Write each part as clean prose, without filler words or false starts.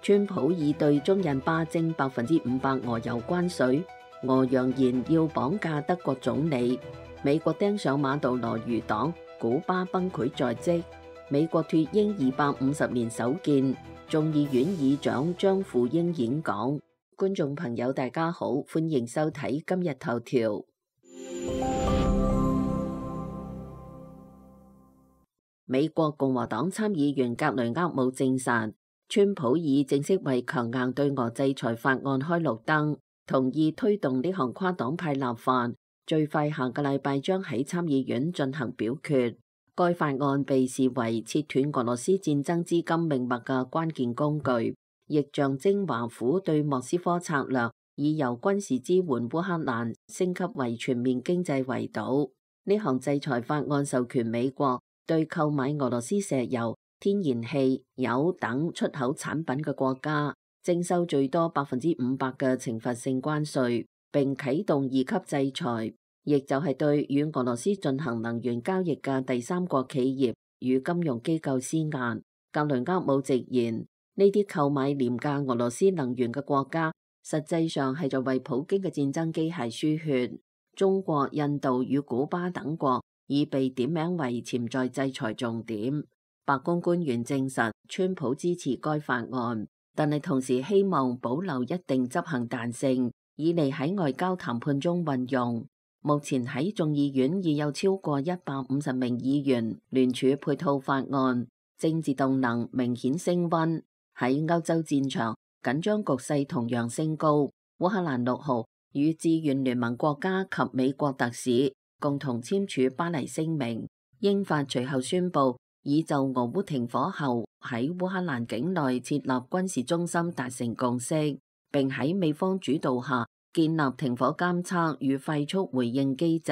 川普已對中印巴徵500%俄油關稅，俄揚言要綁架德國總理。美國盯上馬杜羅餘黨，古巴崩潰在即。美國脫英250年首見，眾議院議長張富英演講。觀眾朋友大家好，歡迎收睇今日頭條。美國共和黨參議員格雷厄姆證實，川普已正式為強硬對俄制裁法案開綠燈，同意推動呢項跨黨派立法，最快下個禮拜將喺參議院進行表決。該法案被視為切斷俄羅斯戰爭資金命脈嘅關鍵工具，亦象徵華府對莫斯科策略，以由軍事支援烏克蘭升級為全面經濟圍堵。呢項制裁法案授權美國對購買俄羅斯石油、天然氣、鈾等出口產品嘅國家徵收最多500%嘅懲罰性關稅，並啟動2級制裁，亦就係對與俄羅斯進行能源交易嘅第三國企業與金融機構施壓。格雷厄姆直言，呢啲購買廉價俄羅斯能源嘅國家，實際上係在為普京嘅戰爭機械輸血。中國、印度與古巴等國已被點名為潛在制裁重點。白宮官員證實，川普支持該法案，但係同時希望保留一定執行彈性，以利喺外交談判中運用。目前喺眾議院已有超過150名議員聯署配套法案，政治動能明顯升溫。喺歐洲戰場，緊張局勢同樣升高。烏克蘭6號與志願聯盟國家及美國特使共同簽署巴黎聲明，英法隨後宣布已就俄烏停火後喺烏克蘭境內設立軍事中心達成共識，並喺美方主導下建立停火監測與快速回應機制。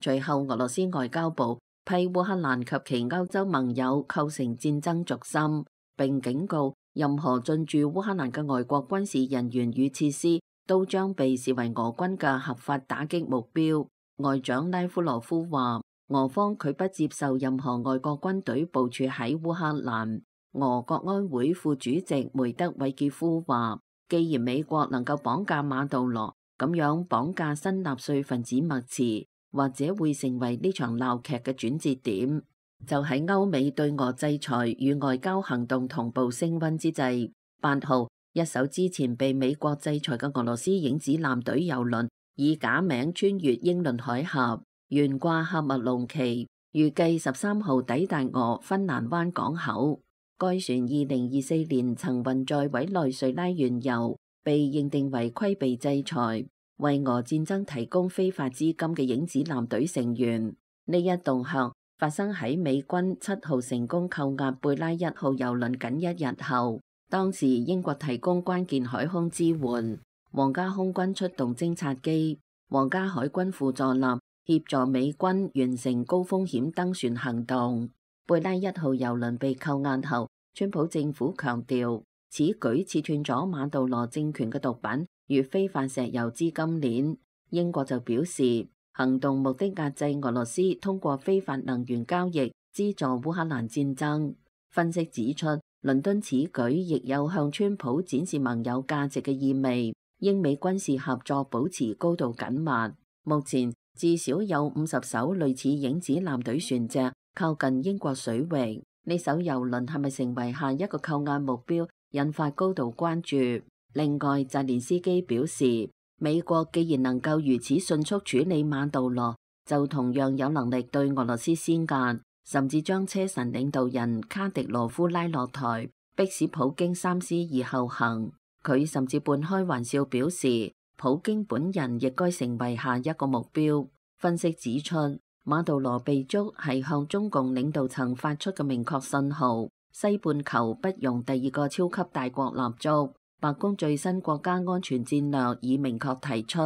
隨後，俄羅斯外交部批烏克蘭及其歐洲盟友構成戰爭軸心，並警告任何進駐烏克蘭嘅外國軍事人員與設施都將被視為俄軍嘅合法打擊目標。外長拉夫羅夫話，俄方拒不接受任何外國軍隊部署喺烏克蘭。俄國安會副主席梅德韋傑夫話，既然美國能夠綁架馬杜羅，咁樣綁架新納粹分子默茨，或者會成為呢場鬧劇嘅轉折點。就喺歐美對俄制裁與外交行動同步升溫之際，8號一艘之前被美國制裁嘅俄羅斯影子艦隊郵輪以假名穿越英倫海峽，懸掛喀麥隆旗，預計13號抵達俄芬蘭灣港口。該船2024年曾運載委內瑞拉原油，被認定為規避制裁，為俄戰爭提供非法資金嘅影子艦隊成員。呢一動向發生喺美軍7號成功扣押貝拉1號郵輪僅1日後，當時英國提供關鍵海空支援，皇家空軍出動偵察機，皇家海軍輔助艦協助美軍完成高風險登船行動。貝拉1號郵輪被扣押後，川普政府強調此舉切斷咗馬杜羅政權嘅毒品與非法石油資金鏈。英國就表示，行動目的壓制俄羅斯通過非法能源交易資助烏克蘭戰爭。分析指出，倫敦此舉亦有向川普展示盟友價值嘅意味。英美軍事合作保持高度緊密。目前至少有50艘類似影子艦隊船隻靠近英國水域。呢艘郵輪係咪成為下一個扣押目標，引發高度關注。另外，澤連斯基表示，美國既然能夠如此迅速處理馬杜羅，就同樣有能力對俄羅斯施壓，甚至將車臣領導人卡迪羅夫拉落台，迫使普京三思而後行。佢甚至半開玩笑表示，普京本人亦該成為下一個目標。分析指出，馬杜羅被捉係向中共領導層發出嘅明確信號，西半球不容第二個超級大國立足。白宮最新國家安全戰略已明確提出，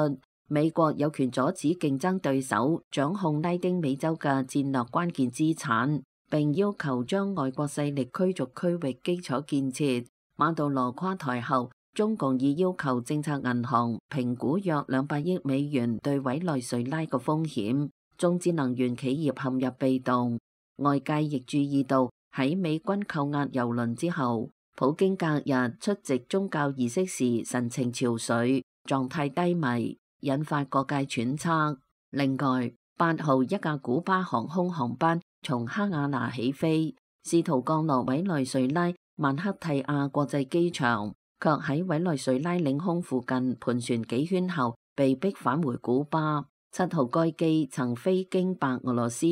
美國有權阻止競爭對手掌控拉丁美洲嘅戰略關鍵資產，並要求將外國勢力驅逐區域基礎建設。馬杜羅垮台後，中共已要求政策銀行評估約200億美元對委內瑞拉嘅風險，中資能源企業陷入被動。外界亦注意到喺美軍扣押郵輪之後，普京隔日出席宗教儀式時神情憔悴，狀態低迷，引發各界揣測。另外，8號一架古巴航空航班從哈瓦那起飛，試圖降落委內瑞拉曼克蒂亞國際機場，卻喺委內瑞拉領空附近盤旋幾圈後被迫返回古巴。7號該機曾飛經白俄羅斯、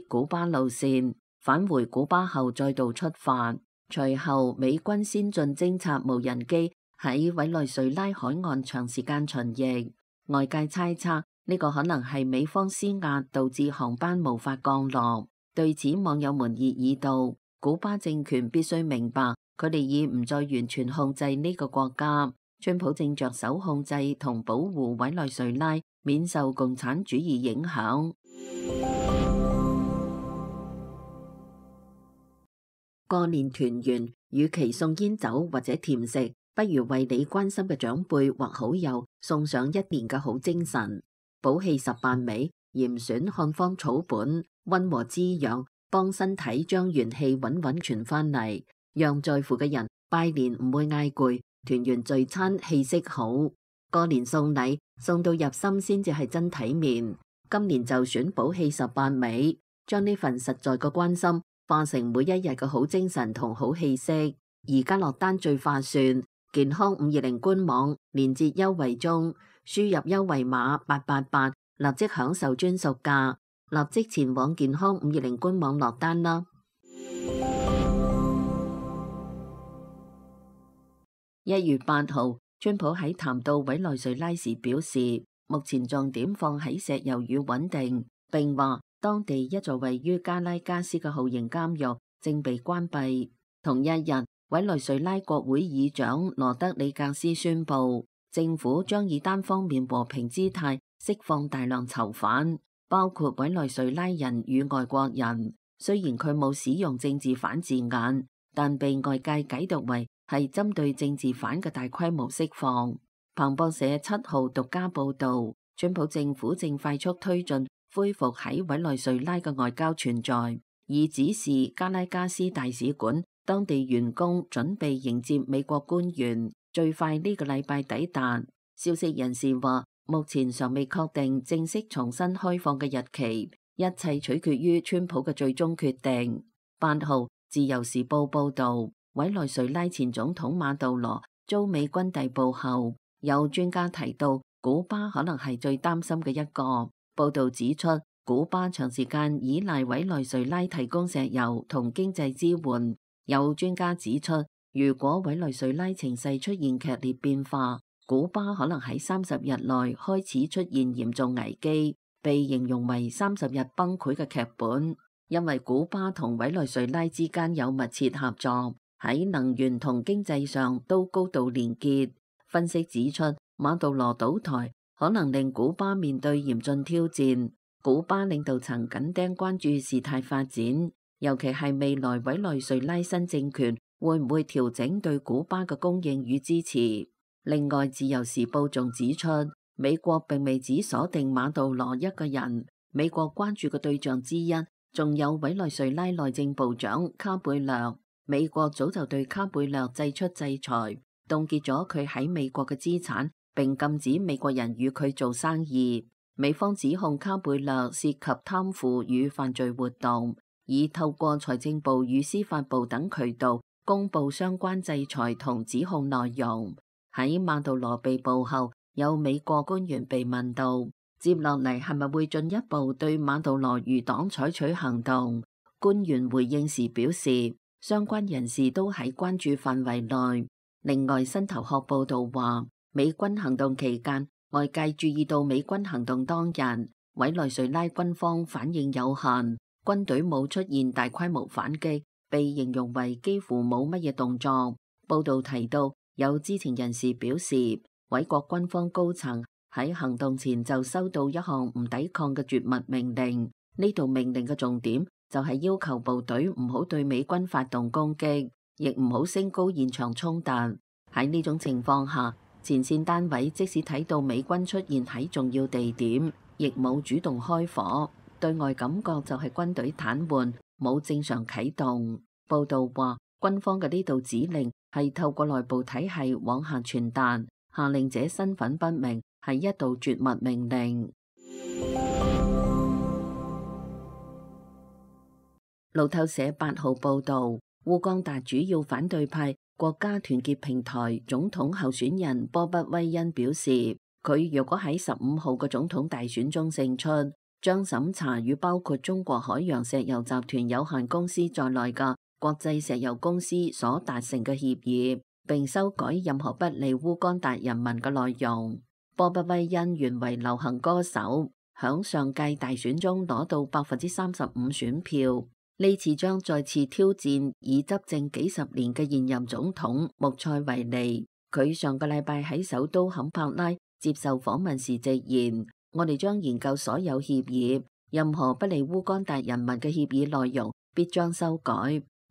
古巴路線，返回古巴後再度出發。隨後美軍先進偵察無人機喺委內瑞拉海岸長時間巡弋，外界猜測呢個可能係美方施壓導致航班無法降落。對此網友們熱議道，古巴政權必須明白佢哋已唔再完全控制呢個國家，川普正着手控制同保護委內瑞拉免受共產主義影響。過年團圓，與其送煙酒或者甜食，不如為你關心嘅長輩或好友送上一年嘅好精神。補氣18味，嚴選漢方草本，溫和滋養，幫身體將元氣穩穩傳返嚟，讓在乎嘅人拜年唔會嗌攰，團圓聚餐氣息好。過年送禮，送到入心先至係真體面。今年就選補氣18味，將呢份實在嘅關心化成每一日嘅好精神同好氣息。而家落單最划算，健康520官網連結優惠中，輸入優惠碼888，立即享受專屬價，立即前往健康520官網落單啦。1月8號，川普喺談到委內瑞拉時表示，目前重點放喺石油與穩定，並話當地一座位於加拉加斯嘅酷刑監獄正被關閉。同一日，委內瑞拉國會議長羅德里格斯宣布，政府將以單方面和平姿態釋放大量囚犯，包括委內瑞拉人與外國人。雖然佢冇使用政治犯字眼，但被外界解讀為係針對政治犯嘅大規模釋放。彭博社7號獨家報道，川普政府正快速推進恢復喺委內瑞拉嘅外交存在，以指示加拉加斯大使館當地員工準備迎接美國官員，最快呢個禮拜抵達。消息人士話，目前尚未確定正式重新開放嘅日期，一切取決於川普嘅最終決定。8號，自由時報報道，委內瑞拉前總統馬杜羅遭美軍逮捕後，有專家提到古巴可能係最擔心嘅一個。報道指出，古巴長時間依賴委內瑞拉提供石油同經濟支援。有專家指出，如果委內瑞拉情勢出現劇烈變化，古巴可能喺30日內開始出現嚴重危機，被形容為30日崩潰嘅劇本。因為古巴同委內瑞拉之間有密切合作，喺能源同經濟上都高度連結。分析指出，馬杜羅倒台可能令古巴面對嚴峻挑戰。古巴領導層緊盯關注事態發展，尤其係未來委內瑞拉新政權會唔會調整對古巴嘅供應與支持。另外，自由時報仲指出，美國並未只鎖定馬杜羅一個人，美國關注嘅對象之一仲有委內瑞拉內政部長卡貝略。美國早就對卡貝略祭出制裁，凍結咗佢喺美國嘅資產，並禁止美國人與佢做生意。美方指控卡貝略涉及貪腐與犯罪活動，以透過財政部與司法部等渠道公布相關制裁同指控內容。喺馬杜羅被捕後，有美國官員被問到，接落嚟係咪會進一步對馬杜羅餘黨採取行動？官員回應時表示，相關人士都喺關注範圍內。另外，新頭殼報道話，美軍行動期間，外界注意到美軍行動當日，委內瑞拉軍方反應有限，軍隊冇出現大規模反擊，被形容為幾乎冇乜嘢動作。報道提到，有知情人士表示，委國軍方高層喺行動前就收到一項唔抵抗嘅絕密命令。呢度命令嘅重點就係要求部隊唔好對美軍發動攻擊，亦唔好升高現場衝突。喺呢種情況下，前線單位即使睇到美軍出現喺重要地點，亦冇主動開火，對外感覺就係軍隊癱瘓，冇正常啟動。報道話，軍方嘅呢道指令係透過內部體系往下傳達，下令者身份不明，係一道絕密命令。路透社8號報導，烏干達主要反對派國家團結平台總統候選人波不威恩表示，佢若果喺15號嘅總統大選中勝出，將審查與包括中國海洋石油集團有限公司在內嘅國際石油公司所達成嘅協議，並修改任何不利烏干達人民嘅內容。波不威恩原為流行歌手，響上屆大選中攞到35%選票。呢次將再次挑戰已執政幾十年嘅現任總統穆塞維尼。佢上個禮拜喺首都坎帕拉接受訪問時直言：我哋將研究所有協議，任何不利烏干達人民嘅協議內容必將修改。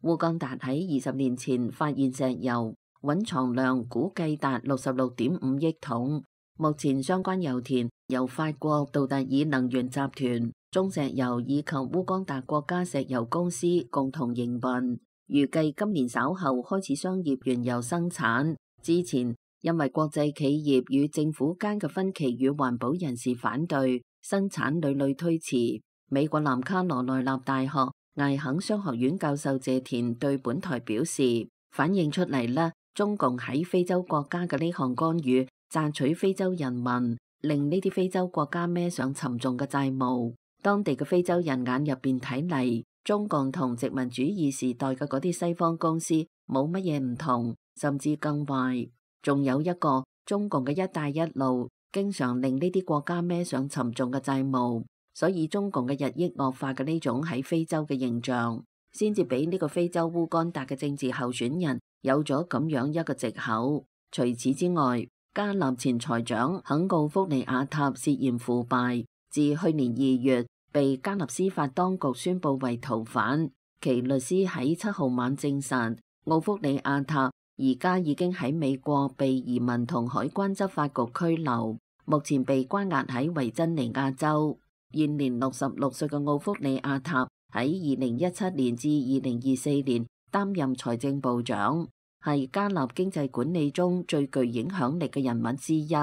烏干達喺20年前發現石油，蘊藏量估計達66.5億桶。目前相關油田由法國杜特爾能源集團、中石油以及烏干達國家石油公司共同營運，預計今年稍後開始商業原油生產。之前因為國際企業與政府間嘅分歧與環保人士反對，生產屢屢推遲。美國南卡羅來納大學艾肯商學院教授謝田對本台表示，反映出嚟啦，中共喺非洲國家嘅呢項干預，賺取非洲人民，令呢啲非洲國家孭上沉重嘅債務。當地嘅非洲人眼入邊睇嚟，中共同殖民主義時代嘅嗰啲西方公司冇乜嘢唔同，甚至更壞。仲有一個，中共嘅一帶一路經常令呢啲國家孭上沉重嘅債務，所以中共嘅日益惡化嘅呢種喺非洲嘅形象，先至俾呢個非洲烏干達嘅政治候選人有咗咁樣一個藉口。除此之外，加納前財長肯奧福尼亞塔涉嫌腐敗，自去年2月被加納司法當局宣布為逃犯。其律師喺7號晚證實，奧福尼亞塔而家已經喺美國被移民同海關執法局拘留，目前被關押喺維珍尼亞州。現年66歲嘅奧福尼亞塔喺2017年至2024年擔任財政部長，係加納經濟管理中最具影響力嘅人物之一。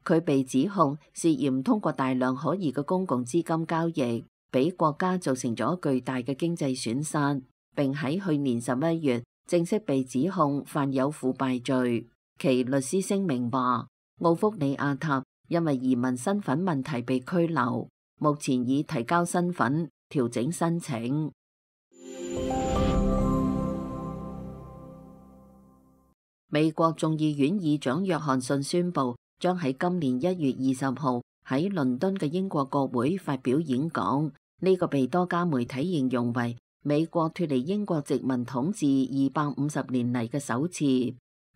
佢被指控涉嫌通過大量可疑嘅公共資金交易，俾國家造成咗巨大嘅經濟損失，並喺去年11月正式被指控犯有腐敗罪。其律師聲明話，奧福尼亞塔因為移民身份問題被拘留，目前已提交身份調整申請。美國眾議院議長約翰遜宣布，將喺今年1月20號喺倫敦嘅英國國會發表演講。呢個被多家媒體形容為美國脫離英國殖民統治250年嚟嘅首次。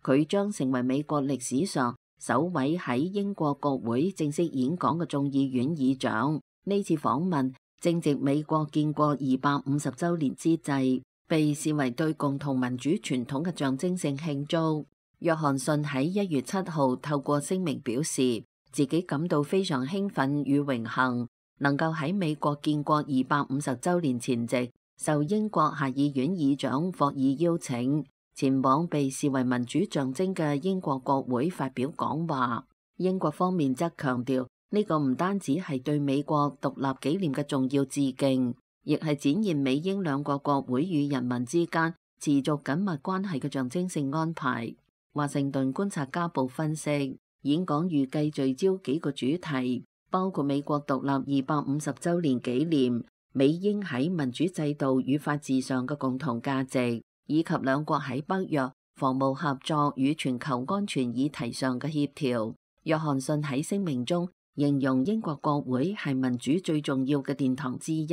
佢將成為美國歷史上首位喺英國國會正式演講嘅眾議院議長。呢次訪問正值美國建國250週年之際，被視為對共同民主傳統嘅象徵性慶祝。約翰遜喺1月7號透過聲明表示，自己感到非常興奮與榮幸，能夠喺美國建國250週年前夕，受英國下議院議長霍爾邀請，前往被視為民主象徵嘅英國國會發表講話。英國方面則強調，呢個唔單止係對美國獨立紀念嘅重要致敬，亦係展現美英兩國國會與人民之間持續緊密關係嘅象徵性安排。華盛頓觀察家報分析，演講預計聚焦幾個主題，包括美國獨立250週年紀念、美英喺民主制度與法治上嘅共同價值，以及兩國喺北約、防務合作與全球安全議題上嘅協調。約翰遜喺聲明中形容英國國會係民主最重要嘅殿堂之一，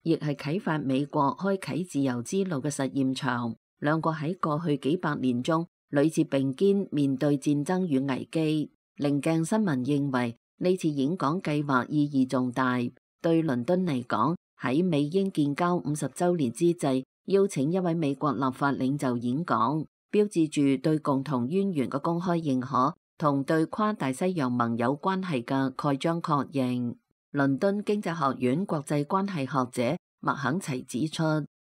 亦係啟發美國開啟自由之路嘅實驗場。兩國喺過去幾百年中屢次並肩面對戰爭與危機。棱鏡新聞認為呢次演講計劃意義重大，對倫敦嚟講，喺美英建交50週年之際，邀請一位美國立法領袖演講，標誌住對共同淵源嘅公開認可同對跨大西洋盟友關係嘅蓋章確認。倫敦經濟學院國際關係學者麥肯齊指出，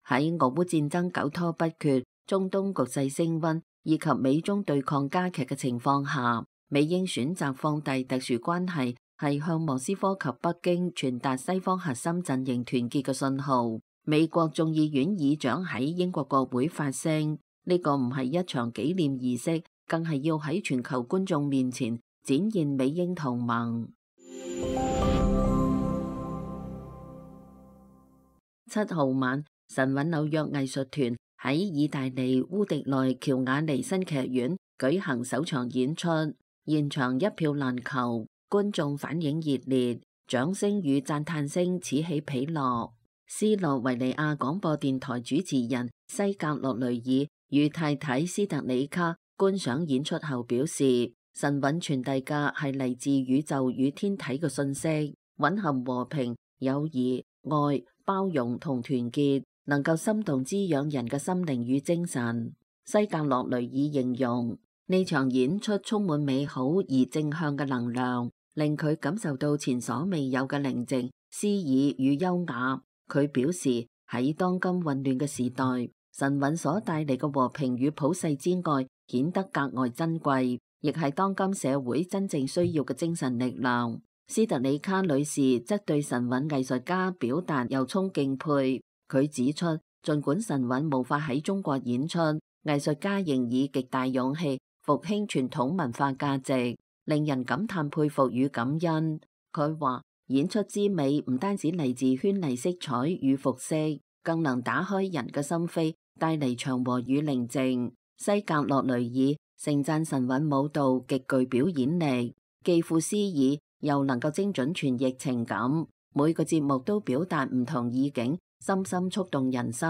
喺俄烏戰爭久拖不決、中東局勢升溫以及美中對抗加劇嘅情況下，美英選擇放大特殊關係，係向莫斯科及北京傳達西方核心陣營團結嘅信號。美國眾議院議長喺英國國會發聲，呢個唔係一場紀念儀式，更係要喺全球觀眾面前展現美英同盟。7號晚，神韻紐約藝術團喺意大利烏迪內喬瓦尼新劇院舉行首場演出，現場一票難求，觀眾反應熱烈，掌聲與讚嘆聲此起彼落。斯洛維尼亞廣播電台主持人西格洛雷爾與太太斯特里卡觀賞演出後表示，神韻傳遞嘅係嚟自宇宙與天體嘅信息，蘊含和平、友誼、愛、包容同團結，能夠心動滋養人嘅心靈與精神。西格洛雷爾形容呢場演出充滿美好而正向嘅能量，令佢感受到前所未有嘅寧靜、詩意與優雅。佢表示喺當今混亂嘅時代，神韻所帶嚟嘅和平與普世之愛顯得格外珍貴，亦係當今社會真正需要嘅精神力量。斯特里卡女士則對神韻藝術家表達由衷敬佩。佢指出，儘管神韻無法喺中國演出，藝術家仍以極大勇氣復興傳統文化價值，令人感嘆佩服與感恩。佢話，演出之美唔單止嚟自絢麗色彩與服飾，更能打開人嘅心扉，帶嚟祥和與寧靜。西格洛雷爾盛讚神韻舞蹈極具表演力，既富詩意，又能夠精準傳譯情感，每個節目都表達唔同意境，深深觸動人心。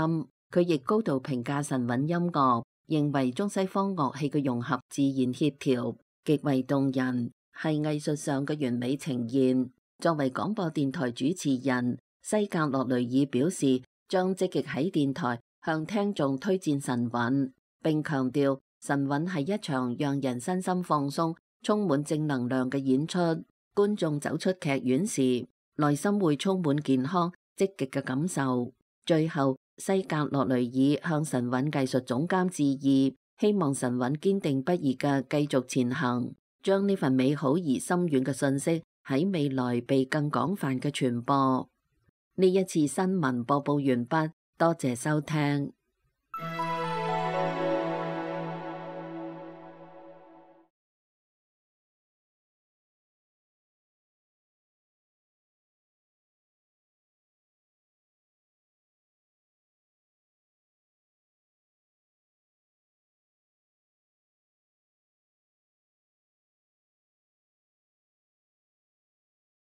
佢亦高度評價神韻音樂，認為中西方樂器嘅融合自然協調，極為動人，係藝術上嘅完美呈現。作為廣播電台主持人，西格洛雷爾表示將積極喺電台向聽眾推薦神韻，並強調神韻係一場讓人身心放鬆、充滿正能量嘅演出。觀眾走出劇院時，內心會充滿健康、積極嘅感受。最後，西格洛雷爾向神韻藝術總監致意，希望神韻堅定不移嘅繼續前行，將呢份美好而深遠嘅信息喺未來被更廣泛嘅傳播。呢一次新聞播報完畢，多謝收聽。